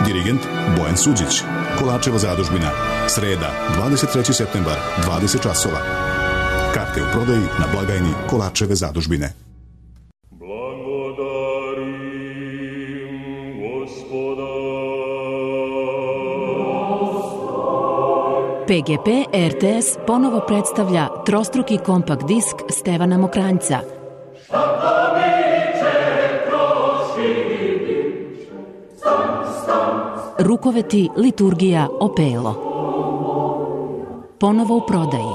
Dirigent Bojan Suđić. Kolačeva zadužbina. Sreda, dvadeset treći septembar, dvadeset časova. Karte u prodaji na blagajni Kolarčeve zadužbine. P G P R T S ponovo predstavlja trostruki kompakt disk Stevana Mokranjca. Rukoveti, liturgija, opelo. Ponovo u prodaji.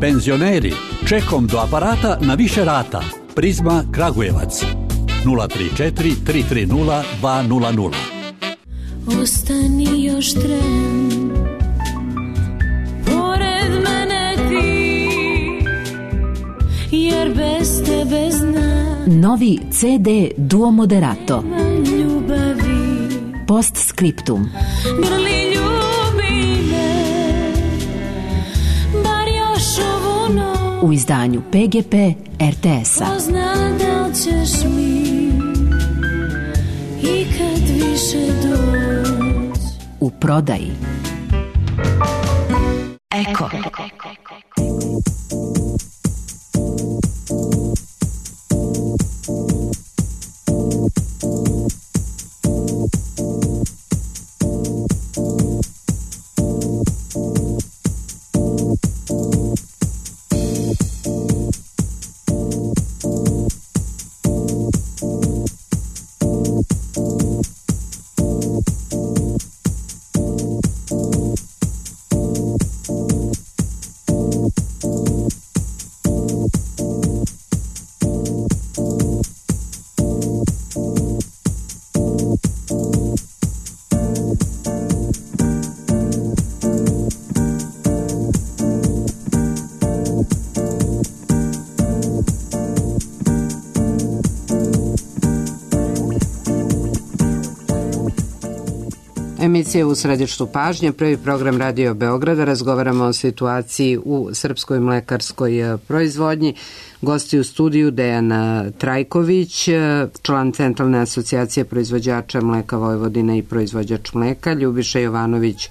Penzioneri, čekom do aparata na više rata. Prizma Kragujevac. nula tri četiri tri tri nula dva nula nula. Ostani još tren, pored mene ti, jer bez tebe znam. Novi C D Duo Moderato. Ljubavi. Post scriptum. Grli ljubi me, bar još ovu noć. U izdanju P G P R T S-a. Pozna da li ćeš mi i kad više doć. U prodaji. Eko. Emisija u središtu pažnje, prvi program Radio Beograda. Razgovaramo o situaciji u srpskoj mlekarskoj proizvodnji. Gosti u studiju Dejan Trajković, član Centralne asocijacije proizvođača mleka Vojvodine i proizvođač mleka, Ljubiša Jovanović,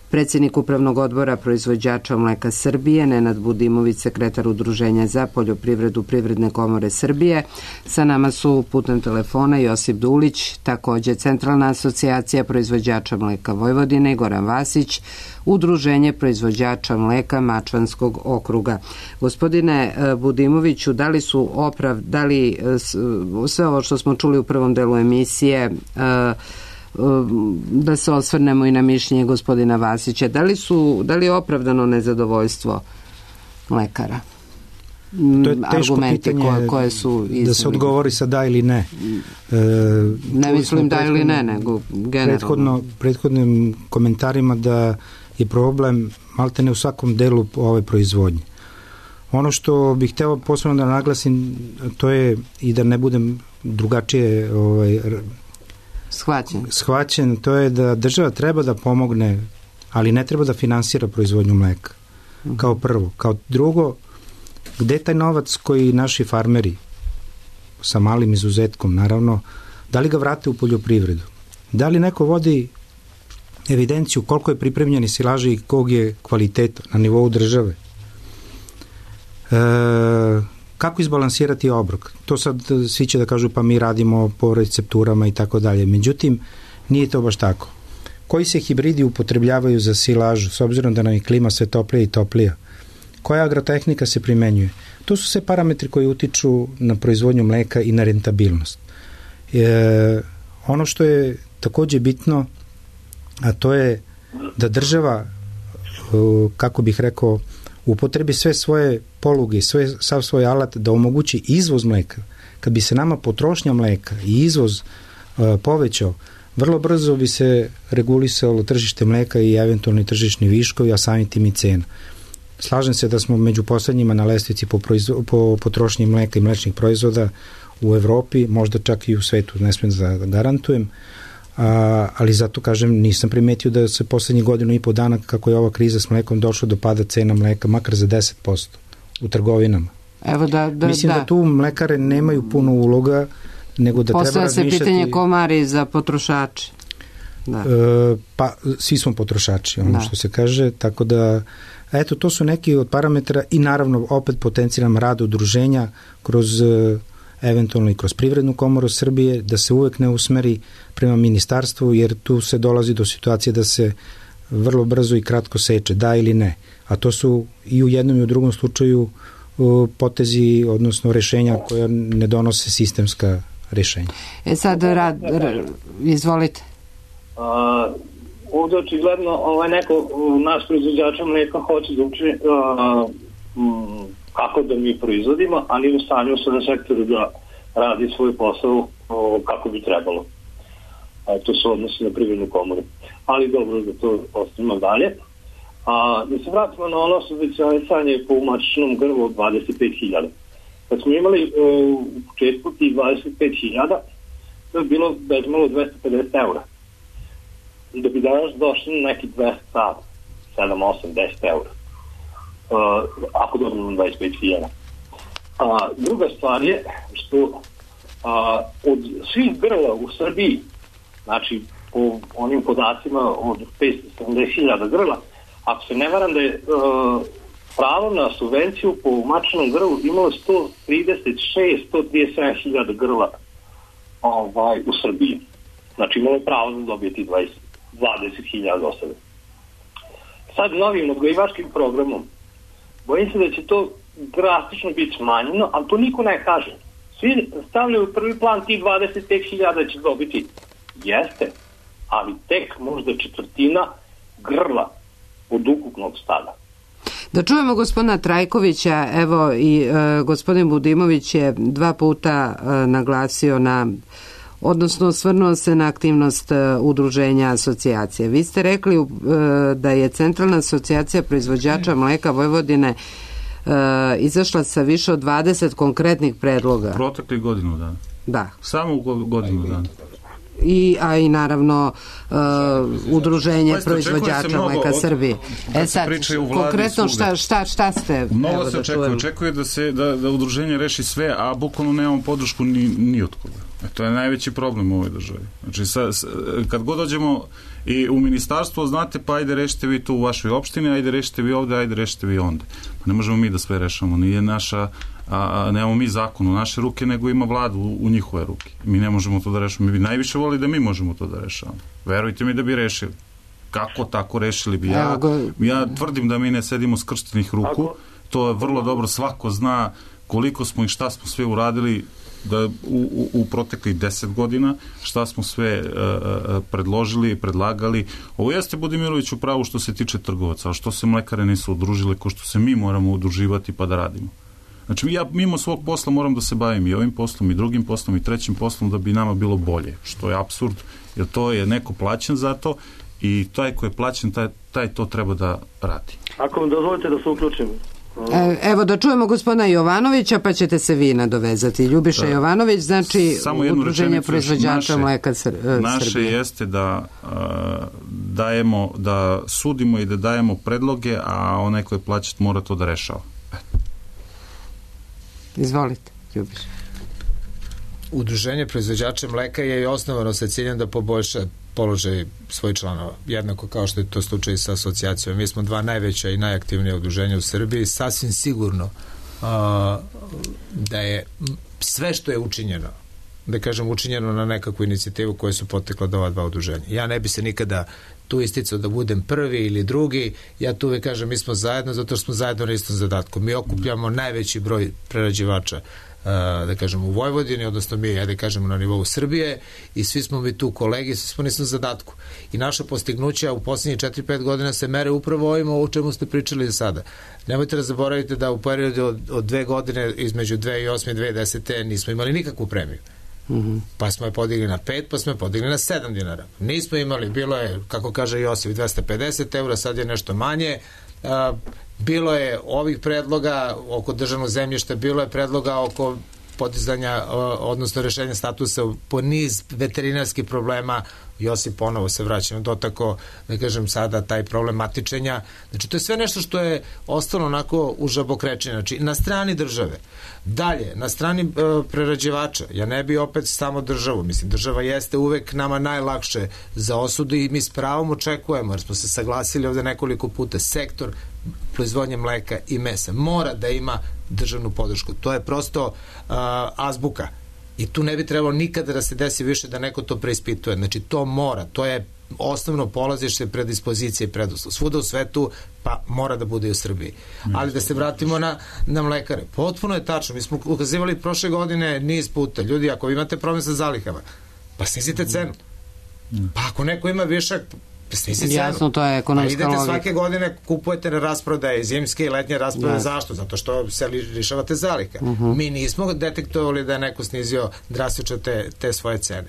predsjednik Upravnog odbora proizvođača mleka Srbije, Nenad Budimović, sekretar Udruženja za poljoprivredu Privredne komore Srbije. Sa nama su putem telefona Josip Dulić, također Centralna asocijacija proizvođača mleka Vojvodine, i Goran Vasić, Udruženje proizvođača mleka Mačvanskog okruga. Gospodine Budimoviću, da li su oprav, da li sve ovo što smo čuli u prvom delu emisije, da se osvrnemo i na mišljenje gospodina Vasića, da li su, da li je opravdano nezadovoljstvo mlekara? To je teško pitanje koje, koje su da se odgovori sa da ili ne. E, ne mislim da ili ne, nego generalno. Prethodno, prethodnim komentarima da je problem maltene u svakom delu ove proizvodnje. Ono što bih hteo posebno da naglasim, to je, i da ne budem drugačije ovaj, Shvaćen. Shvaćen, to je da država treba da pomogne, ali ne treba da finansira proizvodnju mleka. Uh-huh. Kao prvo. Kao drugo, gde taj novac koji naši farmeri, sa malim izuzetkom naravno, da li ga vrate u poljoprivredu? Da li neko vodi evidenciju koliko je pripremljeni silaže i kog je kvaliteta na nivou države? E, kako izbalansirati obrok? To sad svi će da kažu pa mi radimo po recepturama i tako dalje. Međutim, nije to baš tako. Koji se hibridi upotrebljavaju za silažu, s obzirom da nam je klima sve toplija i toplija? Koja agrotehnika se primenjuje? To su sve parametri koji utiču na proizvodnju mleka i na rentabilnost. E, ono što je takođe bitno, a to je da država, kako bih rekao, upotrebi sve svoje poluge, sve, sav svoj alat da omogući izvoz mleka. Kad bi se nama potrošnja mleka i izvoz uh, povećao, vrlo brzo bi se regulisalo tržište mleka i eventualni tržišni viškovi, a samim tim i cena. Slažem se da smo među poslednjima na lestvici po, proizvo, po potrošnji mleka i mlečnih proizvoda u Evropi, možda čak i u svetu, ne smijem da garantujem, a, ali zato kažem, nisam primetio da se poslednjih godinu i po dana kako je ova kriza s mlekom došlo do pada cena mleka makar za deset posto u trgovinama. Evo da, da, Mislim da. da tu mlekare nemaju puno uloga, nego da Postavlja treba razmišljati... Postavlja se pitanje komari za potrošače. Da. E, pa svi smo potrošači, ono da. Što se kaže, tako da eto, to su neki od parametara i naravno opet potencijalan rad udruženja kroz eventualno i kroz Privrednu komoru Srbije, da se uvek ne usmeri prema ministarstvu, jer tu se dolazi do situacije da se vrlo brzo i kratko seče, da ili ne. A to su i u jednom i u drugom slučaju potezi, odnosno rešenja koja ne donose sistemska rešenja. E sad, rad, rad, izvolite. A, ovdje očigledno ovaj neko, naš proizvođača mlijeka hoće da uči a, m, kako da mi proizvodimo, ali u stanju se na sektoru da radi svoj posao o, kako bi trebalo. A, to se odnosi na Privrednu komoru. Ali dobro da to ostavimo dalje. A, da se vratimo na ono subvencionisanje po umačnom grlu od dvadeset pet hiljada. Kad smo imali e, u početku tih dvadeset pet hiljada, to je bilo već malo dvesta pedeset eura. Da bi danas došli na neki dvesta sedam, osam, deset eura. Uh, ako dobimo dvadeset pet hiljada. A, druga stvar je što a, od svih grla u Srbiji, znači po onim podacima od petsto sedamdeset hiljada grla, ako se ne varam da je uh, pravo na subvenciju po mačnom grlu imalo sto trideset šest do sto trideset sedam hiljada grla ovaj, u Srbiji. Znači imalo je pravo da dobije ti dvadeset hiljada do sada. Sad novim odgojivačkim programom bojim se da će to drastično biti smanjeno, ali to niko ne kaže. Svi stavljaju u prvi plan ti dvadeset pet hiljada će dobiti. Jeste, ali tek možda četvrtina grla od ukupnog stada. Da čujemo gospodina Trajkovića, evo i e, gospodin Budimović je dva puta e, naglasio na, odnosno osvrnuo se na aktivnost e, udruženja asocijacije. Vi ste rekli e, da je Centralna asocijacija proizvođača mleka Vojvodine e, izašla sa više od dvadeset konkretnih predloga. Protekli godinu dana. Da. Samo u godinu dana. I, a i naravno uh, udruženje proizvođača mleka Srbije. E sad, konkretno šta, šta, šta ste... Mnogo se očekuje, očekuje da se da, da udruženje reši sve, a bukvalno nemamo podršku ni, ni od koga. E, to je najveći problem u ovoj državi. Znači, sa, sa, kad god dođemo i u ministarstvo, znate, pa ajde rešite vi tu u vašoj opštini, ajde rešite vi ovde, ajde rešite vi onda. Pa ne možemo mi da sve rešamo, nije naša... a nemamo mi zakon u naše ruke, nego ima vladu u, u njihove ruke. Mi ne možemo to da rešimo. Mi bi najviše volili da mi možemo to da rešavamo. Verujte mi da bi rešili. Kako tako rešili bi? Ja, ja tvrdim da mi ne sedimo skrštenih ruku. To je vrlo dobro. Svako zna koliko smo i šta smo sve uradili da u, u, u proteklih deset godina, šta smo sve uh, predložili, predlagali. Ovo jeste Budimirović u pravu što se tiče trgovaca, a što se mlekare nisu udružile, ko što se mi moramo udruživati pa da radimo. Znači, ja mimo svog posla moram da se bavim i ovim poslom, i drugim poslom, i trećim poslom da bi nama bilo bolje, što je apsurd, jer to je neko plaćen za to i taj ko je plaćen, taj, taj to treba da radi. Ako vam dozvolite da se uključim. E, evo da čujemo gospodina Jovanovića, pa ćete se vi nadovezati. Ljubiša da. Jovanović, znači udruženje proizvođača mleka Srbije. Naše jeste da uh, dajemo, da sudimo i da dajemo predloge, a onaj ko je plaćen mora to da rešava. Izvolite, Ljubiš. Udruženje proizvođača mleka je i osnovano sa ciljem da poboljša položaj svojih članova, jednako kao što je to slučaj sa asocijacijom. Mi smo dva najveća i najaktivnija udruženja u Srbiji. Sasvim sigurno uh, da je sve što je učinjeno, da kažem učinjeno na nekakvu inicijativu koje su potekla do ova dva udruženja. Ja ne bi se nikada tu isticao da budem prvi ili drugi, ja tu uvek kažem mi smo zajedno zato što smo zajedno na istom zadatku. Mi okupljamo najveći broj prerađivača uh, da kažem u Vojvodini, odnosno mi, ja da kažem na nivou Srbije i svi smo mi tu kolegi, svi smo na istom zadatku. I naša postignuća u posljednjih četiri pet godina se mere upravo ovim o čemu ste pričali sada. Nemojte da zaboravite da u periodu od, od dve godine između dve hiljade osme i dve hiljade desete nismo imali nikakvu premiju. Mm-hmm. Pa smo je podigli na pet, pa smo je podigli na sedam dinara. Nismo imali, bilo je, kako kaže Josif, dvesta pedeset eura, sad je nešto manje. A, bilo je ovih predloga oko državnog zemljišta, bilo je predloga oko podizanja, odnosno rešenja statusa po niz veterinarskih problema. Josip, ponovo se vraćam dotako, da kažem sada, taj problem matičenja. Znači, to je sve nešto što je ostalo onako u žabokrečenju. Znači, na strani države. Dalje, na strani uh, prerađivača, ja ne bi opet samo državu, mislim, država jeste uvek nama najlakše za osudu i mi s pravom očekujemo, jer smo se saglasili ovde nekoliko puta, sektor proizvodnje mleka i mesa mora da ima državnu podršku. To je prosto uh, azbuka. I tu ne bi trebalo nikada da se desi više da neko to preispituje. Znači, to mora, to je osnovno polazište predispozicije i preduslov. Svuda u svetu, pa mora da bude i u Srbiji. Ali da se vratimo na, na mlekare. Potpuno je tačno. Mi smo ukazivali prošle godine niz puta. Ljudi, ako imate problem sa zalihama, pa snizite cenu. Pa ako neko ima višak, snizite cenu. Jasno, to je ekonomska logika. Pa idete svake godine, kupujete na rasprodaje, zimske i letnje rasprodaje. Zašto? Zato što se lišavate zaliha. Uh-huh. Mi nismo detektovali da je neko snizio drastično te, te svoje cene.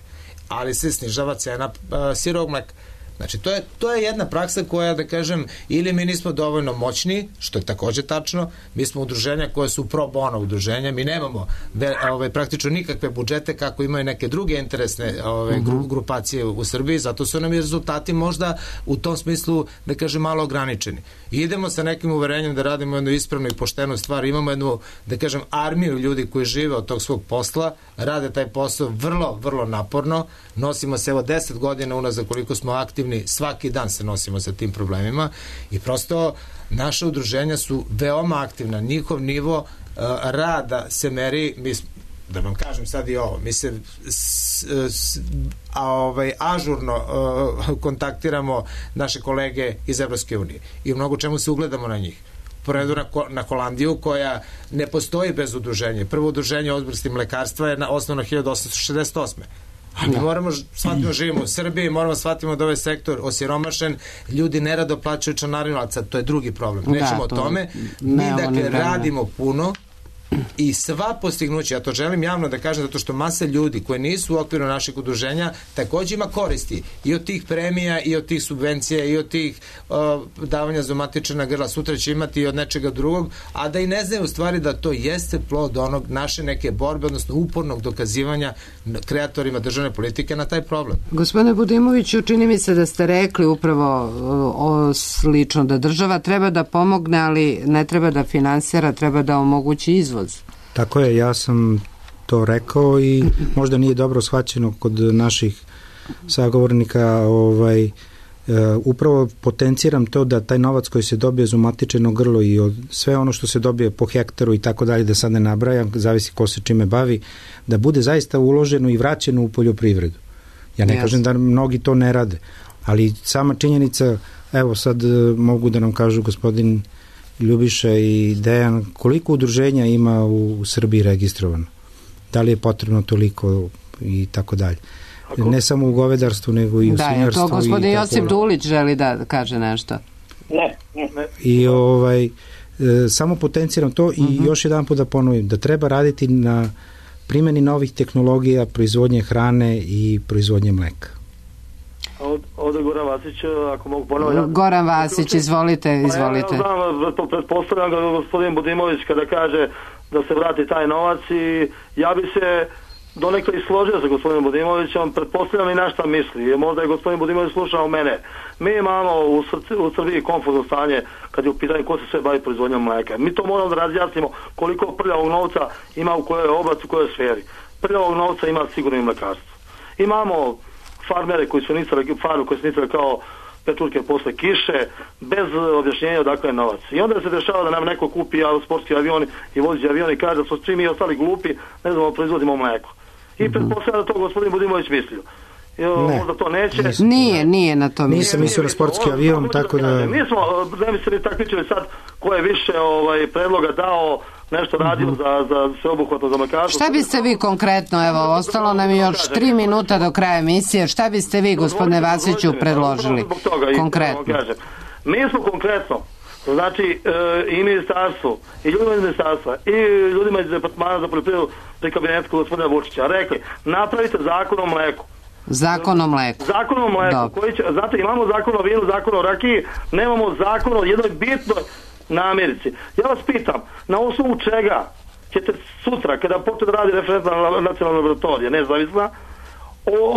Ali se snižava cena uh, sirovog mleka. Znači, to je, to je jedna praksa koja, da kažem, ili mi nismo dovoljno moćni, što je takođe tačno, mi smo udruženja koje su pro bono udruženja, mi nemamo ve, ove, praktično nikakve budžete kako imaju neke druge interesne ove, gru, grupacije u Srbiji, zato su nam i rezultati možda u tom smislu, da kažem, malo ograničeni. I idemo sa nekim uverenjem da radimo jednu ispravnu i poštenu stvar, imamo jednu, da kažem, armiju ljudi koji žive od tog svog posla, rade taj posao vrlo, vrlo naporno, nosimo se evo deset godina unazad koliko smo aktivni, svaki dan se nosimo sa tim problemima i prosto naša udruženja su veoma aktivna, njihov nivo uh, rada se meri, mi, da vam kažem sad i ovo, mi se s, s, a, ovaj, ažurno uh, kontaktiramo naše kolege iz Evropske unije i u mnogo čemu se ugledamo na njih. Poredu na, na Holandiju koja ne postoji bez udruženja. Prvo udruženje odbrsti mlekarstva je na osnovno hiljadu osamsto šezdeset osme. A mi moramo shvatimo, živimo u Srbiji, moramo shvatimo da ovaj sektor osiromašen, ljudi nerado plaćaju članarinu, ali sad to je drugi problem. Nećemo da, o tome. Mi, dakle, radimo puno i sva postignuća, ja to želim javno da kažem, zato što masa ljudi koji nisu u okviru naših udruženja takođe ima koristi i od tih premija i od tih subvencija i od tih uh, davanja za matična grla, sutra će imati i od nečega drugog, a da i ne znaju u stvari da to jeste plod onog naše neke borbe, odnosno upornog dokazivanja kreatorima državne politike na taj problem. Gospodine Budimoviću, čini mi se da ste rekli upravo o, slično da država treba da pomogne, ali ne treba da finansira, treba da omogući izvoz. Tako je, ja sam to rekao i možda nije dobro shvaćeno kod naših sagovornika, ovaj, e, upravo potenciram to da taj novac koji se dobije za umatičeno grlo i od sve ono što se dobije po hektaru i tako dalje, da sad ne nabrajam, zavisi ko se čime bavi, da bude zaista uloženo i vraćeno u poljoprivredu. Ja ne yes. kažem da mnogi to ne rade, ali sama činjenica, evo sad mogu da nam kažu gospodin Ljubiša i Dejan, koliko udruženja ima u, u Srbiji registrovano? Da li je potrebno toliko i tako dalje? Ne samo u govedarstvu, nego i u svinjarstvu. Da, to gospodin Josip Dulić želi da kaže nešto. Ne, ne. I ovaj, e, samo potenciram to i uh-huh. još jedan put da ponovim, da treba raditi na primjeni novih tehnologija, proizvodnje hrane i proizvodnje mleka. Ovdje Goran Vasić, ako mogu ponoviti. Goran Vasić, izvolite, izvolite. Ja znam, pretpostavljam ga gospodin Budimović kada kaže da se vrati taj novac i ja bi se donekle i složio sa gospodinom Budimovićem, pretpostavljam i na šta misli. Možda je gospodin Budimović slušao mene. Mi imamo u, srci, u Srbiji konfuzno stanje kad je u pitanju ko se sve bavi proizvodnjom mleka. Mi to moramo da razjasnimo koliko prljavog novca ima u kojoj oblasti, u kojoj sferi. Prljavog novca ima sigurno i mlekarstvo. Imamo farmere koji su nicali, farme koji su nicali kao pečurke posle kiše, bez objašnjenja odakle je novac. I onda se dešava da nam neko kupi sportski avion i vozi avion i kaže da su svi mi ostali glupi, ne znamo, proizvodimo mleko. I mm-hmm. pretpostavljam da to gospodin Budimović mislio. Ne. Možda to neće. Nisam. Nije, nije na to. Nisam mislio na sportski ovo, avion, tako da... Mi smo, ne mi se ni takmičili sad ko je više ovaj, predloga dao, nešto radio mm-hmm. za, za sveobuhvatno za mlekarstvo. Šta biste vi konkretno, evo, ostalo nam još tri minuta do kraja emisije, šta biste vi, gospodine Vasiću, predložili konkretno? Mi smo konkretno, znači i ministarstvo, i ljudima iz ministarstva, i ljudima iz departmana za poljoprivredu pri kabinetu gospodina Vučića rekli, napravite zakon o mleku. Zakon o mleku. Zakon o mleku. Koji će, znate, imamo zakon o vinu, zakon o rakiji, nemamo zakon o jednoj bitnoj namirnici. Ja vas pitam, na osnovu čega ćete sutra, kada počne da radi referentna nacionalna laboratorija, nezavisna,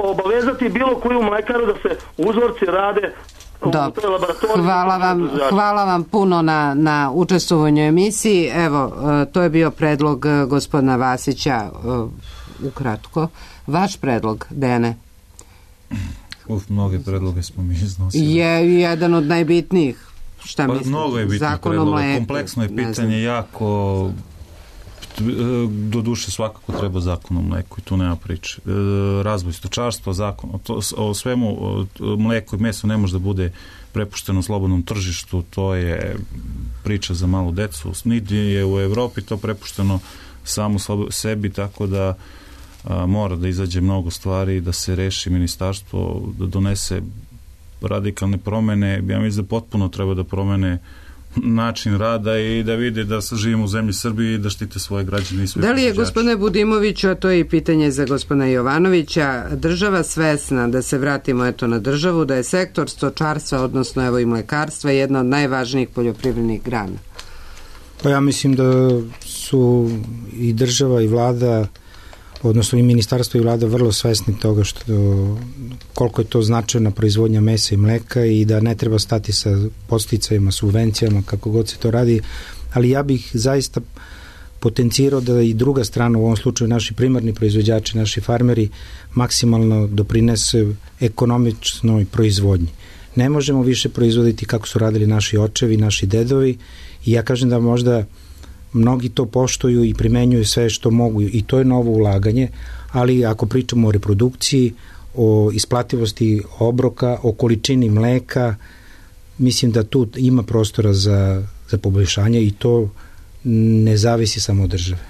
obavezati bilo koju mlekaru da se uzorci rade Dobro. Hvala vam, hvala vam puno na, na učestvovanju u emisiji. Evo, to je bio predlog gospodina Vasića, ukratko. Vaš predlog, Dene? Uf, mnoge predloge smo mi iznosili. Je jedan od najbitnijih. Šta pa, mislite? Mnogo je bitnih predloga. Kompleksno je pitanje, jako... Do duše svakako treba zakon o mleku i tu nema priče. Razvoj stočarstva, zakon o, o svemu, mleko i meso ne može da bude prepušteno slobodnom tržištu, to je priča za malu decu. Niti je u Evropi to prepušteno samo sebi, tako da a, mora da izađe mnogo stvari, da se reši ministarstvo, da donese radikalne promene. Ja mislim da potpuno treba da promene način rada i da vide da živimo u zemlji Srbiji i da štite svoje građane i sve. Da li je, gospodine Budimoviću, a to je i pitanje za gospodina Jovanovića, država svesna, da se vratimo eto na državu, da je sektor stočarstva, odnosno evo i mlekarstva, jedna od najvažnijih poljoprivrednih grana? Pa ja mislim da su i država i vlada, odnosno i ministarstvo i vlada vrlo svesni toga što koliko je to značajna proizvodnja mesa i mleka i da ne treba stati sa podsticajima, subvencijama, kako god se to radi, ali ja bih zaista potencirao da i druga strana, u ovom slučaju naši primarni proizvođači, naši farmeri, maksimalno doprinese ekonomičnoj proizvodnji. Ne možemo više proizvoditi kako su radili naši očevi, naši dedovi i ja kažem da možda mnogi to poštuju i primenjuju sve što mogu i to je novo ulaganje, ali ako pričamo o reprodukciji, o isplativosti obroka, o količini mleka, mislim da tu ima prostora za, za poboljšanje i to ne zavisi samo od države.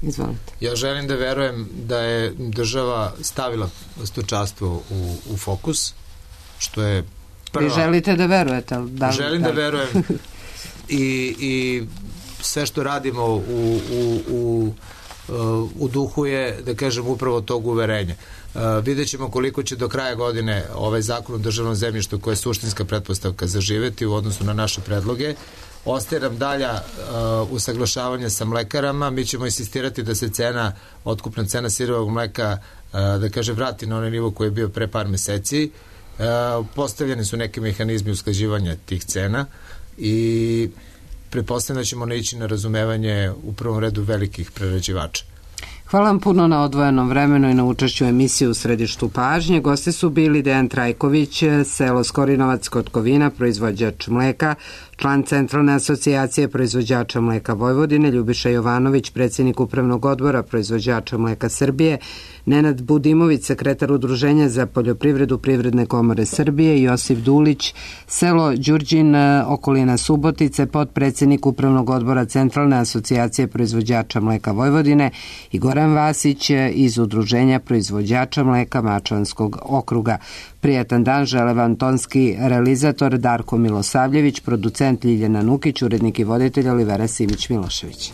Izvolite. Ja želim da verujem da je država stavila stočarstvo u, u fokus, što je prva... Vi želite da verujete? Da, želim da, da verujem i, i sve što radimo u, u, u, u duhu je, da kažem, upravo tog uverenja. Uh, vidjet ćemo koliko će do kraja godine ovaj zakon o državnom zemljištu, koja je suštinska pretpostavka, zaživeti u odnosu na naše predloge. Ostaje nam dalja uh, usaglašavanje sa mlekarama. Mi ćemo insistirati da se cena, otkupna cena sirovog mleka, uh, da kažem, vrati na onaj nivo koji je bio pre par meseci. Uh, postavljeni su neki mehanizmi usklađivanja tih cena i pretpostavljam da ćemo naići na razumevanje u prvom redu velikih prerađivača. Hvala vam puno na odvojenom vremenu i na učešću u emisiji U središtu pažnje. Gosti su bili Dejan Trajković, selo Skorinovac kod Kovina, proizvođač mleka, član Centralne asocijacije proizvođača mleka Vojvodine, Ljubiša Jovanović, predsjednik Upravnog odbora proizvođača mleka Srbije, Nenad Budimović, sekretar Udruženja za poljoprivredu Privredne komore Srbije, Josip Dulić, selo Đurđin, okolina Subotice, potpredsjednik Upravnog odbora Centralne asocijacije proizvođača mleka Vojvodine i Goran Vasić iz Udruženja proizvođača mleka Mačvanskog okruga. Prijatan dan žele vam tonski realizator Darko Milosavljević, producent Ljiljana Nukić, urednik i voditelj Olivera Simić-Milošević.